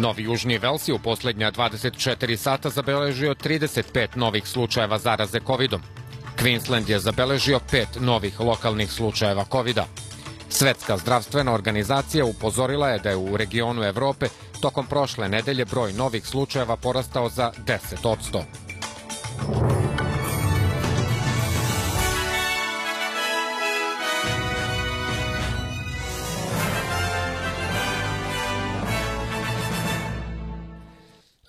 Novi Južni Vels je u posljednja 24 sata zabeležio 35 novih slučajeva zaraze COVID-om. Queensland je zabeležio 5 novih lokalnih slučajeva COVID-a. Svetska zdravstvena organizacija upozorila je da je u regionu Evrope tokom prošle nedelje broj novih slučajeva porastao za 10%.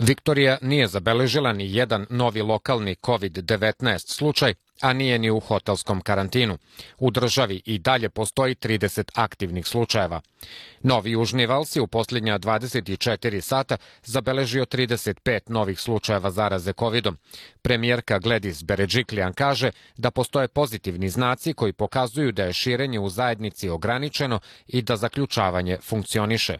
Viktorija nije zabeležila ni jedan novi lokalni COVID-19 slučaj, a nije ni u hotelskom karantinu. U državi i dalje postoji 30 aktivnih slučajeva. Novi Južni Vels je u posljednja 24 sata zabeležio 35 novih slučajeva zaraze COVID-om. Premijerka Gladys Berejiklian kaže da postoje pozitivni znaci koji pokazuju da je širenje u zajednici ograničeno i da zaključavanje funkcioniše.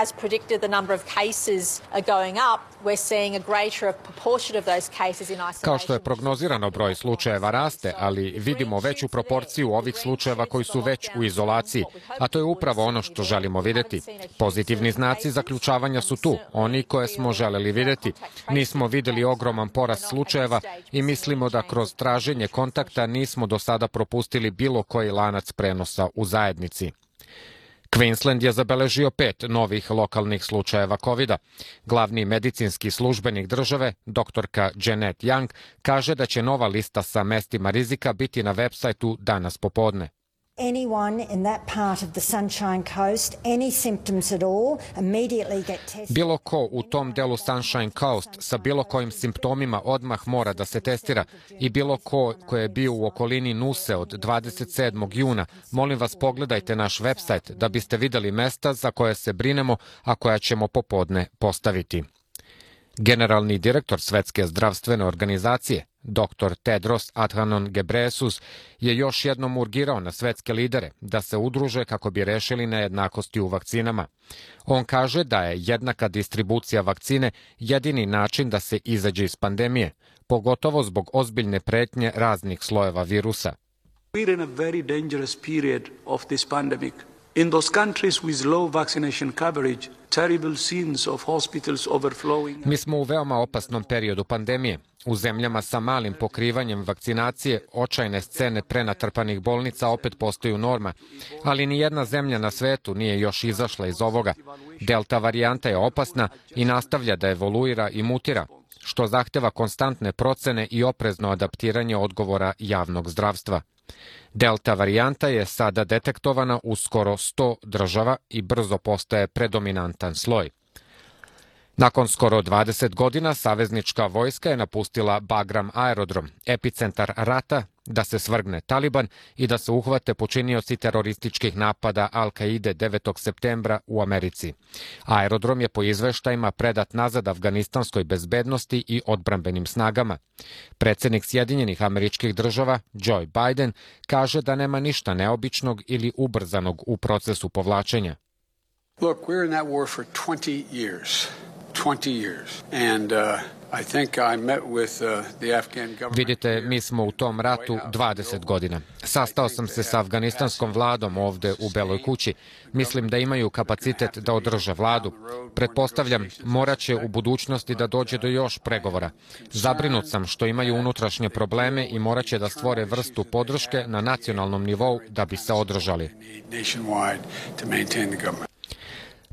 As predicted, the number of cases are going up. We're seeing a greater proportion of those cases in isolation. Kao što je prognozirano, broj slučajeva raste, ali vidimo veću proporciju ovih slučajeva koji su već u izolaciji, a to je upravo ono što želimo vidjeti. Pozitivni znaci zaključavanja su tu, oni koje smo želeli vidjeti. Nismo vidjeli ogroman porast slučajeva i mislimo da kroz traženje kontakta nismo do sada propustili bilo koji lanac prenosa u zajednici. Queensland je zabeležio 5 novih lokalnih slučajeva COVID-a. Glavni medicinski službenik države, doktorka Janet Young, kaže da će nova lista sa mestima rizika biti na web sajtu danas popodne. Bilo ko u tom delu Sunshine Coast sa bilo kojim simptomima odmah mora da se testira i bilo ko je bio u okolini Nuse od 27. juna, molim vas pogledajte naš website da biste vidjeli mesta za koje se brinemo, a koja ćemo popodne postaviti. Generalni direktor Svetske zdravstvene organizacije, dr. Tedros Adhanom Ghebreyesus, je još jednom urgirao na svetske lidere da se udruže kako bi rešili nejednakosti u vakcinama. On kaže da je jednaka distribucija vakcine jedini način da se izađe iz pandemije, pogotovo zbog ozbiljne pretnje raznih slojeva virusa. We're in a very dangerous period of this pandemic. In those countries with low vaccination coverage, terrible scenes of hospitals overflowing. Mi smo u veoma opasnom periodu pandemije. U zemljama sa malim pokrivanjem vakcinacije, očajne scene prenatrpanih bolnica opet postaju norma, ali ni jedna zemlja na svetu nije još izašla iz ovoga. Delta varijanta je opasna i nastavlja da evoluira i mutira, što zahteva konstantne procene i oprezno adaptiranje odgovora javnog zdravstva. Delta varijanta je sada detektovana u skoro 100 država i brzo postaje predominantan sloj. Nakon skoro 20 godina saveznička vojska je napustila Bagram aerodrom, epicentar rata, da se svrgne Taliban i da se uhvate počinioci terorističkih napada Al-Kaide 9. septembra u Americi. Aerodrom je po izveštajima predat nazad afganistanskoj bezbednosti i odbrambenim snagama. Predsjednik Sjedinjenih Američkih Država, Joe Biden, kaže da nema ništa neobičnog ili ubrzanog u procesu povlačenja. Look, we're in that war for 20 years. 20 years. And I think I met with the Afghan government. Vidite, mi smo u tom ratu 20 godina. Sastao sam se sa afganistanskom vladom ovde u Beloj kući. Mislim da imaju kapacitet da održe vladu. Pretpostavljam, morat će u budućnosti da dođe do još pregovora. Zabrinut sam što imaju unutrašnje probleme i morat će da stvore vrstu podrške na nacionalnom nivou da bi se održali.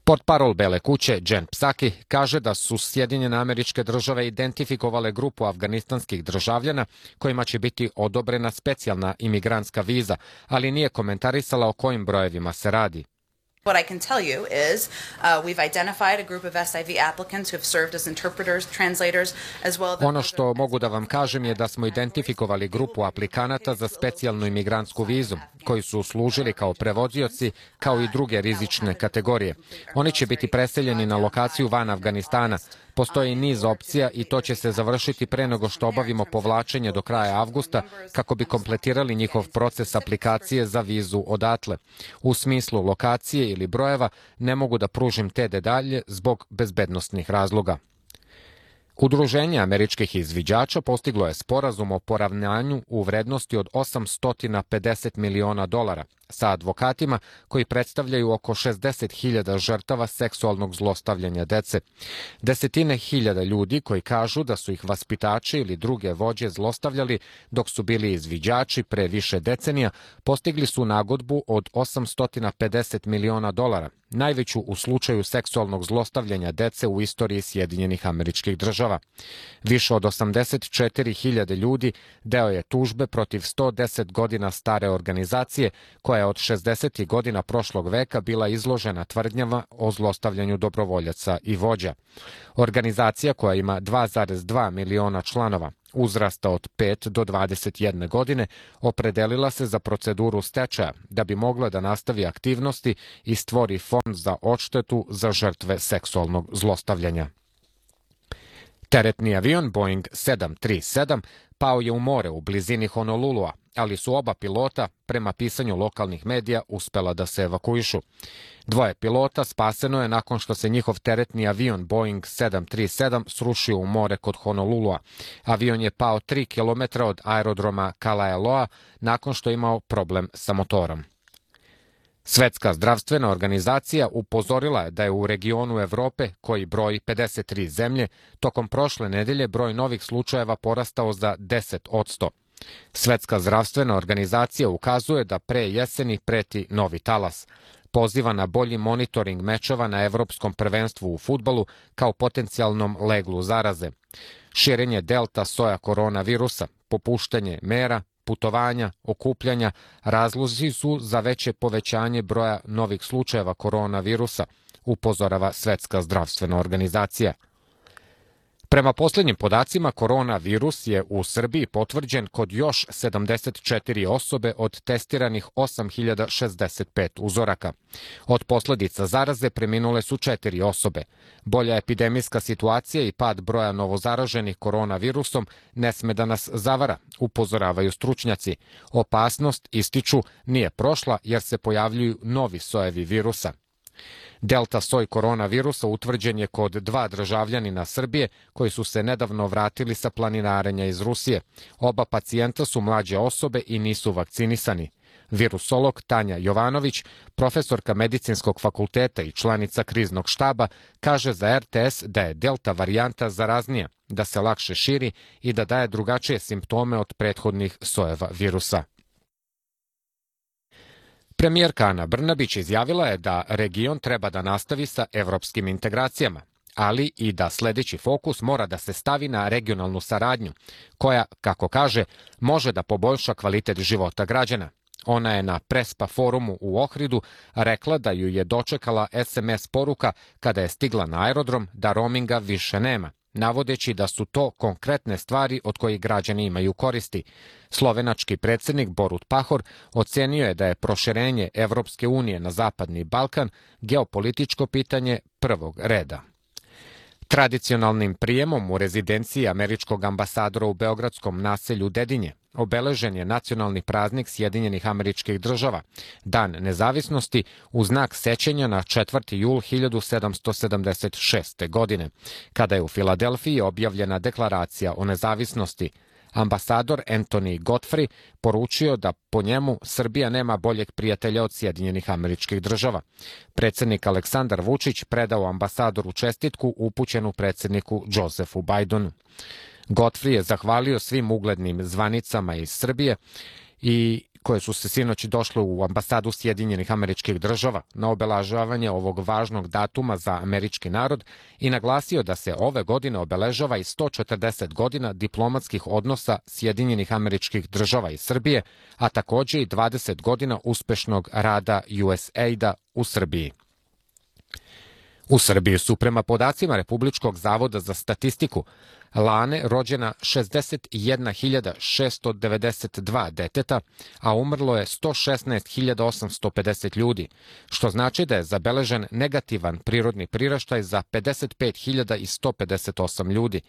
Portparol Bele kuće, Jen Psaki, kaže da su Sjedinjene Američke Države identifikovale grupu afganistanskih državljana kojima će biti odobrena specijalna imigrantska viza, ali nije komentarisala o kojim brojevima se radi. What I can tell you is we've identified a group of SIV applicants who have served as interpreters, translators, as well as... Ono što mogu da vam kažem je da smo identifikovali grupu aplikanata za specijalnu imigrantsku vizu, koji su služili kao prevodioci, kao i druge rizične kategorije. Oni će biti preseljeni na lokaciju van Afganistana. Postoji niz opcija i to će se završiti pre nego što obavimo povlačenje do kraja avgusta kako bi kompletirali njihov proces aplikacije za vizu odatle. U smislu lokacije ili brojeva ne mogu da pružim te detalje zbog bezbednosnih razloga. Udruženje američkih izviđača postiglo je sporazum o poravnanju u vrednosti od $850 miliona, sa advokatima koji predstavljaju oko 60.000 žrtava seksualnog zlostavljanja dece. Desetine hiljada ljudi koji kažu da su ih vaspitači ili druge vođe zlostavljali dok su bili izviđači pre više decenija, postigli su nagodbu od $850 miliona, najveću u slučaju seksualnog zlostavljanja dece u istoriji Sjedinjenih Američkih Država. Više od 84.000 ljudi deo je tužbe protiv 110 godina stare organizacije koja je od 60. godina prošlog veka bila izložena tvrdnjama o zlostavljanju dobrovoljaca i vođa. Organizacija koja ima 2,2 miliona članova, uzrasta od 5 do 21 godine, opredelila se za proceduru stečaja da bi mogla da nastavi aktivnosti i stvori fond za odštetu za žrtve seksualnog zlostavljanja. Teretni avion Boeing 737 pao je u more u blizini Honolulua, ali su oba pilota, prema pisanju lokalnih medija, uspela da se evakuišu. Dvoje pilota spaseno je nakon što se njihov teretni avion Boeing 737 srušio u more kod Honolulua. Avion je pao 3 km od aerodroma Kalaeloa nakon što je imao problem sa motorom. Svetska zdravstvena organizacija upozorila je da je u regionu Evrope, koji broji 53 zemlje, tokom prošle nedelje broj novih slučajeva porastao za 10%. Svetska zdravstvena organizacija ukazuje da pre jeseni preti novi talas. Poziva na bolji monitoring mečeva na Evropskom prvenstvu u fudbalu kao potencijalnom leglu zaraze. Širenje delta soja koronavirusa, popuštanje mera, putovanja, okupljanja razlozi su za veće povećanje broja novih slučajeva koronavirusa, upozorava Svetska zdravstvena organizacija. Prema poslednjim podacima, koronavirus je u Srbiji potvrđen kod još 74 osobe od testiranih 8.065 uzoraka. Od posledica zaraze preminule su 4 osobe. Bolja epidemijska situacija i pad broja novozaraženih koronavirusom ne sme da nas zavara, upozoravaju stručnjaci. Opasnost, ističu, nije prošla jer se pojavljuju novi sojevi virusa. Delta soj koronavirusa utvrđen je kod 2 državljanina Srbije koji su se nedavno vratili sa planinarenja iz Rusije. Oba pacijenta su mlađe osobe i nisu vakcinisani. Virusolog Tanja Jovanović, profesorka medicinskog fakulteta i članica kriznog štaba, kaže za RTS da je delta varijanta zaraznija, da se lakše širi i da daje drugačije simptome od prethodnih sojeva virusa. Premijerka Ana Brnabić izjavila je da region treba da nastavi sa evropskim integracijama, ali i da sledeći fokus mora da se stavi na regionalnu saradnju, koja, kako kaže, može da poboljša kvalitet života građana. Ona je na Prespa forumu u Ohridu rekla da ju je dočekala SMS poruka kada je stigla na aerodrom da roaminga više nema, navodeći da su to konkretne stvari od kojih građani imaju koristi. Slovenački predsjednik Borut Pahor ocenio je da je proširenje Evropske unije na Zapadni Balkan geopolitičko pitanje prvog reda. Tradicionalnim prijemom u rezidenciji američkog ambasadora u beogradskom naselju Dedinje obeležen je nacionalni praznik Sjedinjenih Američkih Država, Dan nezavisnosti, u znak sećanja na 4. jul 1776. godine, kada je u Filadelfiji objavljena deklaracija o nezavisnosti. Ambasador Anthony Godfrey poručio da po njemu Srbija nema boljeg prijatelja od Sjedinjenih Američkih Država. Predsjednik Aleksandar Vučić predao ambasadoru čestitku upućenu predsjedniku Josefu Bajdenu. Godfrey je zahvalio svim uglednim zvanicama iz Srbije i koje su se sinoć došle u ambasadu Sjedinjenih Američkih Država na obeležavanje ovog važnog datuma za američki narod i naglasio da se ove godine obeležava i 140 godina diplomatskih odnosa Sjedinjenih Američkih Država i Srbije, a takođe i 20 godina uspešnog rada USAID-a u Srbiji. U Srbiji su prema podacima Republičkog zavoda za statistiku lane rođena 61.692 deteta, a umrlo je 116.850 ljudi, što znači da je zabeležen negativan prirodni priraštaj za 55.158 ljudi.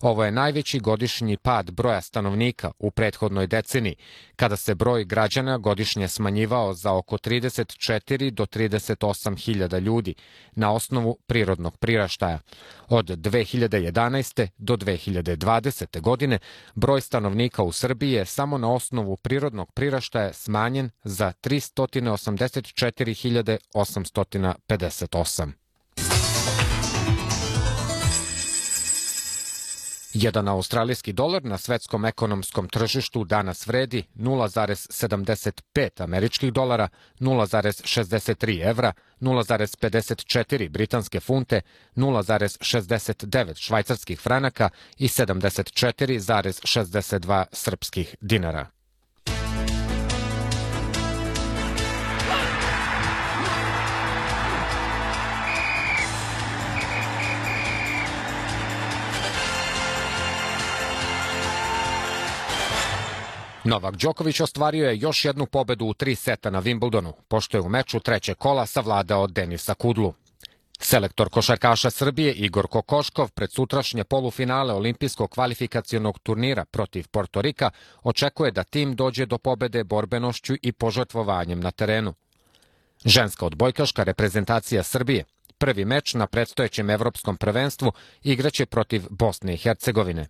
Ovo je najveći godišnji pad broja stanovnika u prethodnoj deceniji, kada se broj građana godišnje smanjivao za oko 34 do 38 hiljada ljudi na osnovu prirodnog priraštaja od 2011. do 2020. godine broj stanovnika u Srbiji je samo na osnovu prirodnog priraštaja smanjen za 384.858. Jedan australijski dolar na svetskom ekonomskom tržištu danas vredi 0,75 američkih dolara, 0,63 evra, 0,54 britanske funte, 0,69 švajcarskih franaka i 74,62 srpskih dinara. Novak Đoković ostvario je još jednu pobedu u 3 seta na Wimbledonu, pošto je u meču trećeg kola savladao Denisa Kudlu. Selektor košarkaša Srbije Igor Kokoškov pred sutrašnje polufinale olimpijskog kvalifikacionog turnira protiv Portorika očekuje da tim dođe do pobede borbenošću i požrtvovanjem na terenu. Ženska odbojkaška reprezentacija Srbije prvi meč na predstojećem evropskom prvenstvu igraće protiv Bosne i Hercegovine.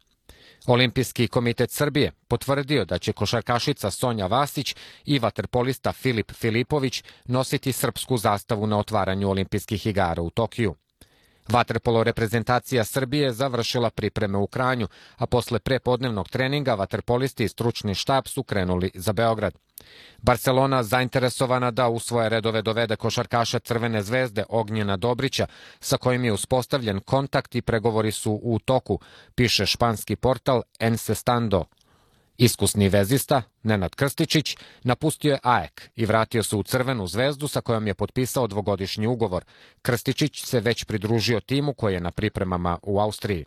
Olimpijski komitet Srbije potvrdio da će košarkašica Sonja Vasić i vaterpolista Filip Filipović nositi srpsku zastavu na otvaranju olimpijskih igara u Tokiju. Vaterpolo reprezentacija Srbije završila pripreme u Kranju, a posle prepodnevnog treninga vaterpolisti i stručni štab su krenuli za Beograd. Barcelona zainteresovana da u svoje redove dovede košarkaša Crvene zvezde Ognjena Dobrića, sa kojim je uspostavljen kontakt i pregovori su u toku, piše španski portal Encestando. Iskusni vezista, Nenad Krstičić, napustio je AEK i vratio se u Crvenu zvezdu sa kojom je potpisao dvogodišnji ugovor. Krstičić se već pridružio timu koji je na pripremama u Austriji.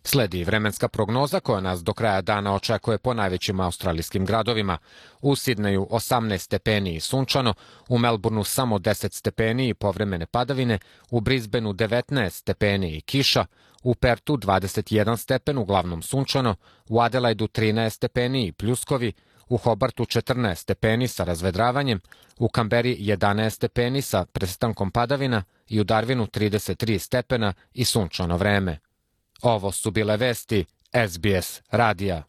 Sledi vremenska prognoza koja nas do kraja dana očekuje po najvećim australijskim gradovima. U Sidneju 18 stepeni i sunčano, u Melbourneu samo 10 stepeni i povremene padavine, u Brisbaneu 19 stepeni i kiša, u Pertu 21 stepen, uglavnom sunčano, u Adelaidu 13 stepeni i pljuskovi, u Hobartu 14 stepeni sa razvedravanjem, u Kamberi 11 stepeni sa prestankom padavina i u Darwinu 33 stepena i sunčano vreme. Ovo su bile vesti SBS radija.